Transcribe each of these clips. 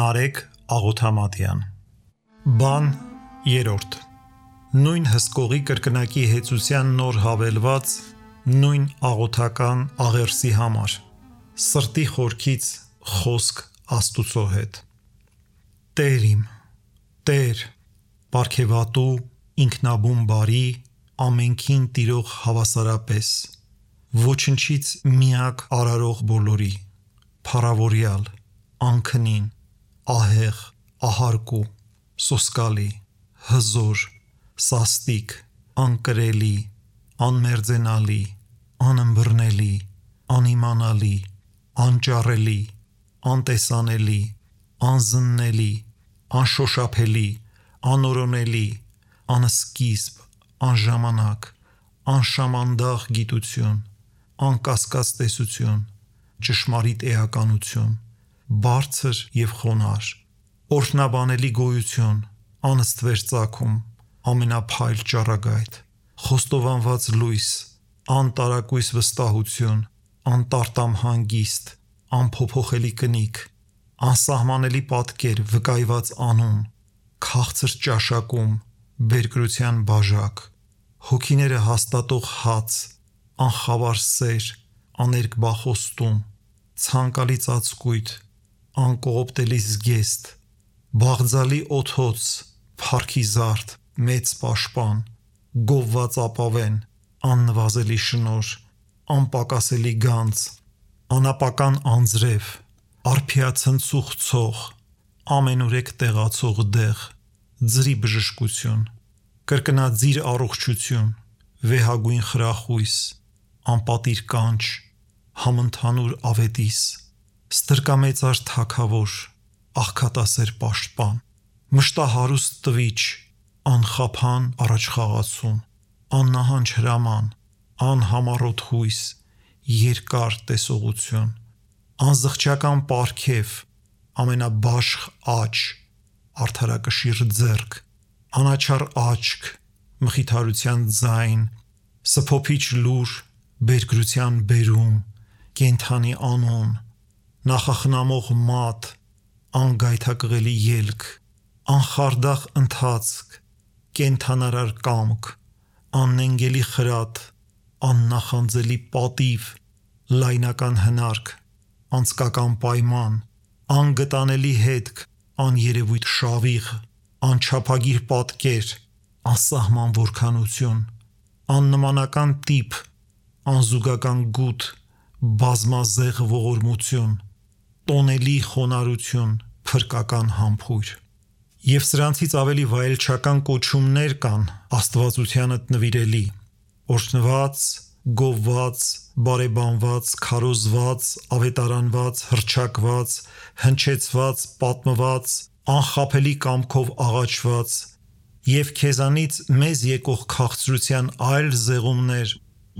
Նարեկ Աղոթամատյան Բան 3 Նույն հսկողի կրկնակի հեծության նոր հավելված նույն աղոթական աղերսի համար սրտի խորքից խոսք Աստուծո հետ Տեր իմ, Տեր, պարգևատու, ինքնաբուն բարի, ամենքին տիրող հավասարապես, ոչնչից միակ արարող բոլորի, փառավորյալ, անքնին, ահեղ, ահարկու, սոսկալի, հզոր, սաստիկ, անկրելի, անմերձենալի, անըմբռնելի, անիմանալի, անճառելի, անտեսանելի, անզննելի, անշոշափելի, անորոնելի, անսկիզբ, անժամանակ, անշամանդաղ գիտություն, անկասկած տեսություն, ճշմարիտ էականություն, բարձր և խոնարհ, օրհնաբանելի գոյություն, անըստվեր ծագում, ամենափայլ ճառագայթ, խոստովանված լույս, անտարակույս վստահություն, անտարտամ հանգիստ, անփոփոխելի կնիկ, անսահմանելի պատկեր, վկայված անուն, քաղցր ճաշակում, բերկրության բաժակ, հոգիները հաստատող հաց, անխավար սեր, աներկբա խոստում, ցանկալի ծածկույթ, անկողոպտելի զգեստ, բաղձալի օդոց, փառքի զարդ, մեծ պաշտպան, գովված ապավեն, աննվազելի շնորհ, անպակասելի գանձ, անապական անձրև, արփիացնցուղ ցող, ամենուրեք տեղացող դեղ, ձրի բժշկություն, կրկնաձիր առողջություն, վեհագույն խրախույս, անպատիր կանչ, համընդհանուր ավետիս, ստրկամեծար թագավոր, աղքատասեր պաշտպան, մշտահարուստ տվիչ, անխափան առաջխաղացում, աննահանջ հրաման, անհամառոտ հույս, երկար տեսողություն, անզղջական պարգև, ամենաբաշխ աջ, արդարակշիռ ձեռք, անաչառ աչք, մխիթարության ձայն, սփոփիչ լուր, բերկրության բերում, կենդանի անուն, նախախնամող մատ, անգայթակղելի ելք, անխարդախ ընթացք, կենդանարար կամք, աննենգելի խրատ, աննախանձելի պատիվ, լայնական հնարք, անձկական պայման, անգտանելի հետք, աներևույթ շավիղ, անչափագիր պատկեր, անսահման որքանություն, աննմանական տիպ, անզուգական գութ, բազմազեղ ողորմություն, տոնելի խոնարհություն, փրկական համբույր Եվ սրանցից ավելի վայելչական կոչումներ կան Աստվածությանդ նվիրելի, օրհնված, գովված, բարեբանված, քարոզված, ավետարանված, հռչակված, հնչեցված, պատմված, անխաբելի կամքով աղաչված և քեզանից մեզ եկող քաղցրության այլ զեղումներ,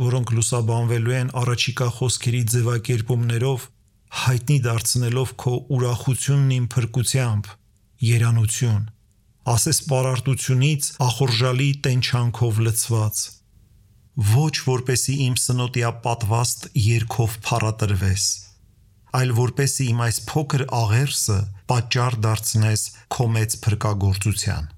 որոնք լուսաբանվելու են առաջիկա խոսքերի ձևակերպումներով, հայտնի դարձնելով քո ուրախությունն իմ փրկությամբ, երանություն, ասես պարարտությունից ախորժալի տենչանքով լցված, ոչ որպեսի իմ սնոտիապատվաստ երգով փառատրվես, այլ որպեսի իմ այս փոքր աղերսը պատճառ դարձնես քո մեծ փրկագործության։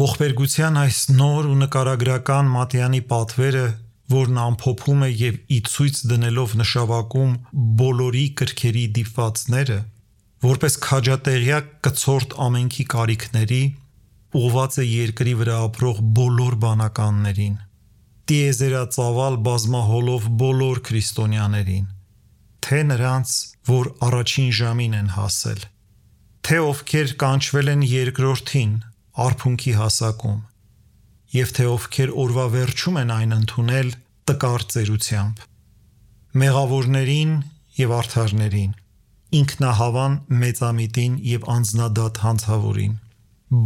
Ողբերգության այս նոր ու նկարագրական մատյանի պատվերը, որն ամփոփում է և ի ցույց դնելով նշավակում բոլորի կրքերի դիպվածները, որպես քաջատեղյակ կցորդ ամենքի կարիքների, ուղղված է երկրի վրա ապրող բոլոր բանականներին, տիեզերածավալ բազմահոլով բոլոր քրիստոնյաներին, թե նրանց, որ առաջին ժամին են հասել, թե ովքեր կանչվել են երկրորդին, արփունքի հասակում, և թե ովքեր օրվա վերջում են այն ընդունել տկար ծերությամբ, մեղավորներին և արդարներին, ինքնահավան մեծամիտին և անձնադատ հանցավորին,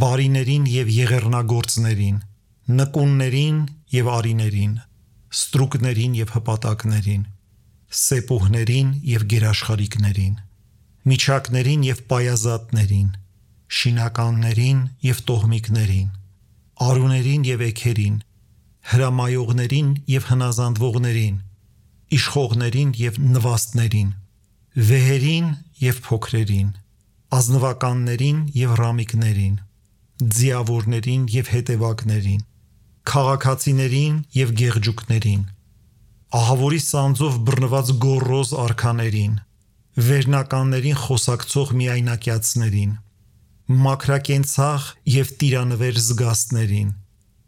բարիներին և եղեռնագործներին, նկուններին և արիներին, ստրուկներին և հպատակներին, սեպուհներին և գերաշխարիքներին, միջակներին և պայազատներին, շինականներին և տոհմիկներին, արուներին և էգերին, հրամայողներին և հնազանդվողներին, իշխողներին և նվաստներին, վեհերին և փոքրերին, ազնվականներին և ռամիկներին, ձիավորներին և հետևակներին, քաղաքացիներին և գեղջուկներին, ահավորի սանձով բռնված գոռոզ արքաներին, վերնականներին խոսակցող միայնակյացներին, մաքրակենցաղ և տիրանվեր զգաստներին,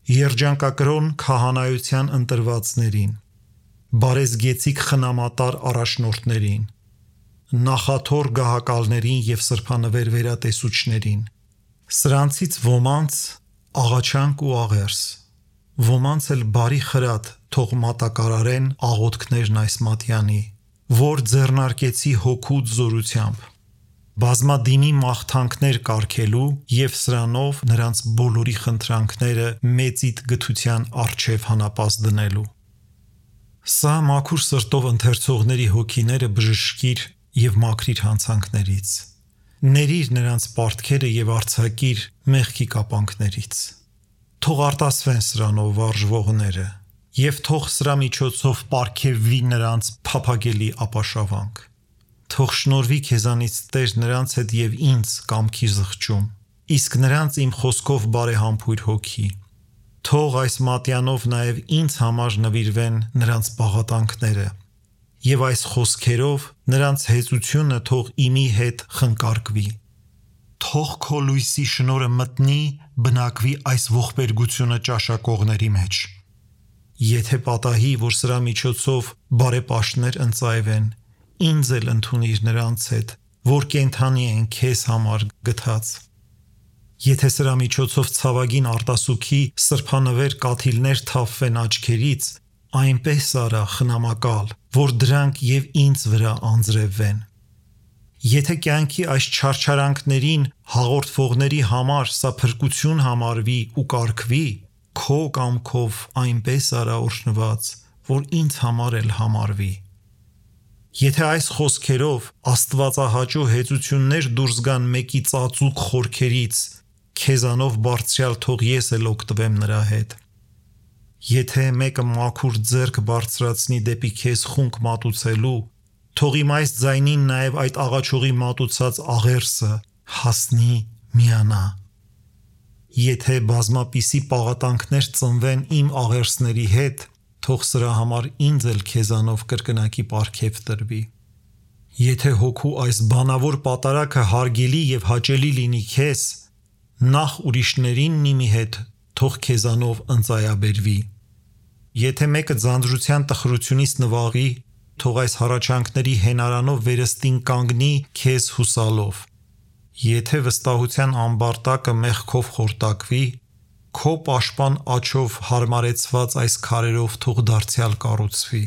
երջանկակրոն քահանայության ընտրվածներին, բարեզգեցիկ խնամատար առաջնորդներին, նախաթոր գահակալներին և սրբանվեր վերատեսուչներին, սրանցից ոմանց աղաչանք ու աղերս, ոմանց էլ բարի խրատ թող մատակարարեն աղոթքներն այս մատյանի, որ ձեռնարկեցի հոգուց զորությամբ, բազմադիմի մաղթանքներ կարգելու և սրանով նրանց բոլորի խնդրանքները մեծիդ գթության առջև հանապաս դնելու։ Սա մաքուր սրտով ընթերցողների հոգիները բժշկիր և մաքրիր հանցանքներից, ներիր նրանց պարտքերը և արձակիր մեղքի կապանքներից, թող արտասվեն սրանով վարժվողները և թող սրա միջոցով պարգևվի նրանց փափագելի ապաշավանք, թող շնորհվի քեզանից Տեր նրանց հետ և ինձ կամքի զղջում, իսկ նրանց իմ խոսքով բարեհամբույր հոգի, թող այս մատյանով նաև ինձ համար նվիրվեն նրանց պաղատանքները և այս խոսքերով նրանց հեծությունը թող իմի հետ խնկարկվի, թող քո լույսի շնորհը մտնի բնակվի այս ողբերգությունը ճաշակողների մեջ, եթե պատահի, որ սրա միջոցով բարեպաշտներ ընծայվեն, ինձ էլ ընդունիր նրանց հետ, որ կենդանի են քեզ համար գթած, եթե սրա միջոցով ցավագին արտասուքի սրբանվեր կաթիլներ թափվեն աչքերից, այնպես արա խնամակալ, որ դրանք և ինձ վրա անձրևվեն, եթե կյանքի այս չարչարանքներին հաղորդվողների համար սա փրկություն համարվի ու կարգվի, քո կամքով այնպես արա օրհնված, որ ինձ համար էլ համարվի, եթե այս խոսքերով աստվածահաճո հեծություններ դուրս գան մեկի ծածուկ խորքերից, քեզանով բարձրյալ թող ես էլ օգտվեմ նրա հետ, եթե մեկը մաքուր ձեռք բարձրացնի դեպի քեզ խունկ մատուցելու, թող իմ այս ձայնին նաև այդ աղաչողի մատուցած աղերսը հասնի միանա, եթե բազմապիսի պաղատանքներ ծնվեն իմ աղերսների հետ, թող սրա համար ինձ էլ քեզանով կրկնակի պարգև տրվի, եթե հոգու այս բանավոր պատարագը հարգելի և հաճելի լինի քեզ, նախ ուրիշներին նիմի հետ թող քեզանով ընծայաբերվի, եթե մեկը ձանձրության տխրությունից նվաղի, թող այս հառաչանքների հենարանով վերստին կանգնի քեզ հուսալով, եթե վստահության ամբարտակը մեղքով խորտակվի, քո պաշտպան աջով հարմարեցված այս քարերով թող դարձյալ կառուցվի,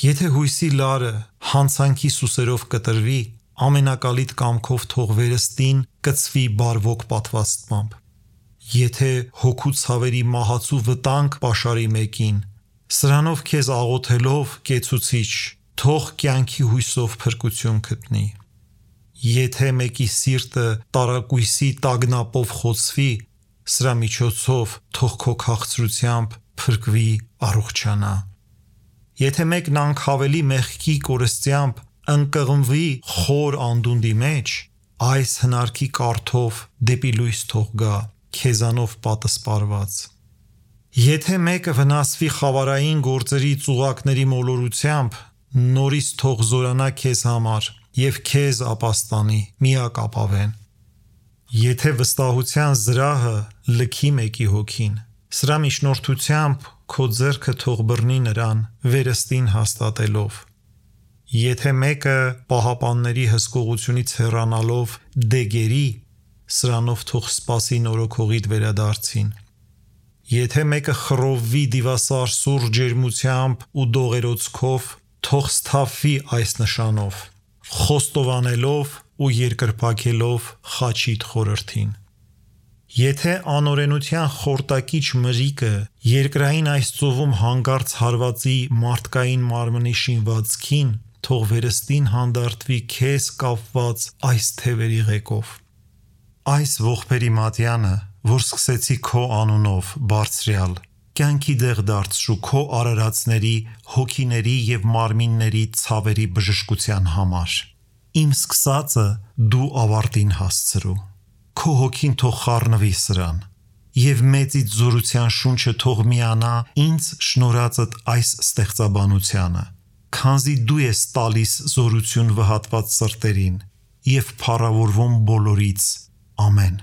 եթե հույսի լարը հանցանքի սուսերով կտրվի, ամենակալիտ կամքով թող վերստին կծվի բարվոք պատվաստմամբ, եթե հոգու ցավերի մահացու վտանգ պաշարի մեկին, սրանով քեզ աղոթելով կեցուցիչ, թող կյանքի հույսով փրկություն գտնի, եթե մեկի սիրտը տարակույսի տագնապով խոցվի, սրա միջոցով թող քո քաղցրությամբ փրկվի առողջանա, եթե մեկն անքավելի մեղքի կորստությամբ ընկղմվի խոր անդունդի մեջ, այս հնարքի կարթով դեպի լույս թող գա, քեզանով պատսպարված, եթե մեկը վնասվի խավարային գործերի ծուղակների մոլորությամբ, նորից թող զորանա քեզ համար և քեզ ապաստանի, միակ ապավեն, եթե վստահության զրահը լքի մեկի հոգին, սրա միջնորդությամբ քո ձեռքը թող բռնի նրան վերստին հաստատելով, եթե մեկը պահապանների հսկողությունից հեռանալով դեգերի, սրանով թող սպասի նորոգողիդ վերադարձին, եթե մեկը խռովվի դիվասար սուր ջերմությամբ ու դողերոցքով, թող սթափվի այս նշանով, խոստովանելով ու երկրպագելով խաչիդ խորհրդին, եթե անօրենության խորտակիչ մրիկը երկրային այս ծովում հանգարց հարվածի մարդկային մարմնի շինվածքին, թող վերստին հանդարտվի քեզ կապված այս թևերի ղեկով, այս ողբերի մատյանը, որ սկսեցի քո անունով, բարձրյալ, կյանքի դեղ դարձրու քո արարածների, հոգիների և մարմինների ցավերի բժշկության համար, Իմ սկսածը դու ավարտին հասցրու։ Քո հոգին թող խառնվի սրան, եւ մեծից զորության շունչը թող միանա ինձ շնորհածդ այս ստեղծաբանությանը, քանզի դու ես տալիս զորություն վհատված սրտերին եւ փառավորվում բոլորից։ Ամեն։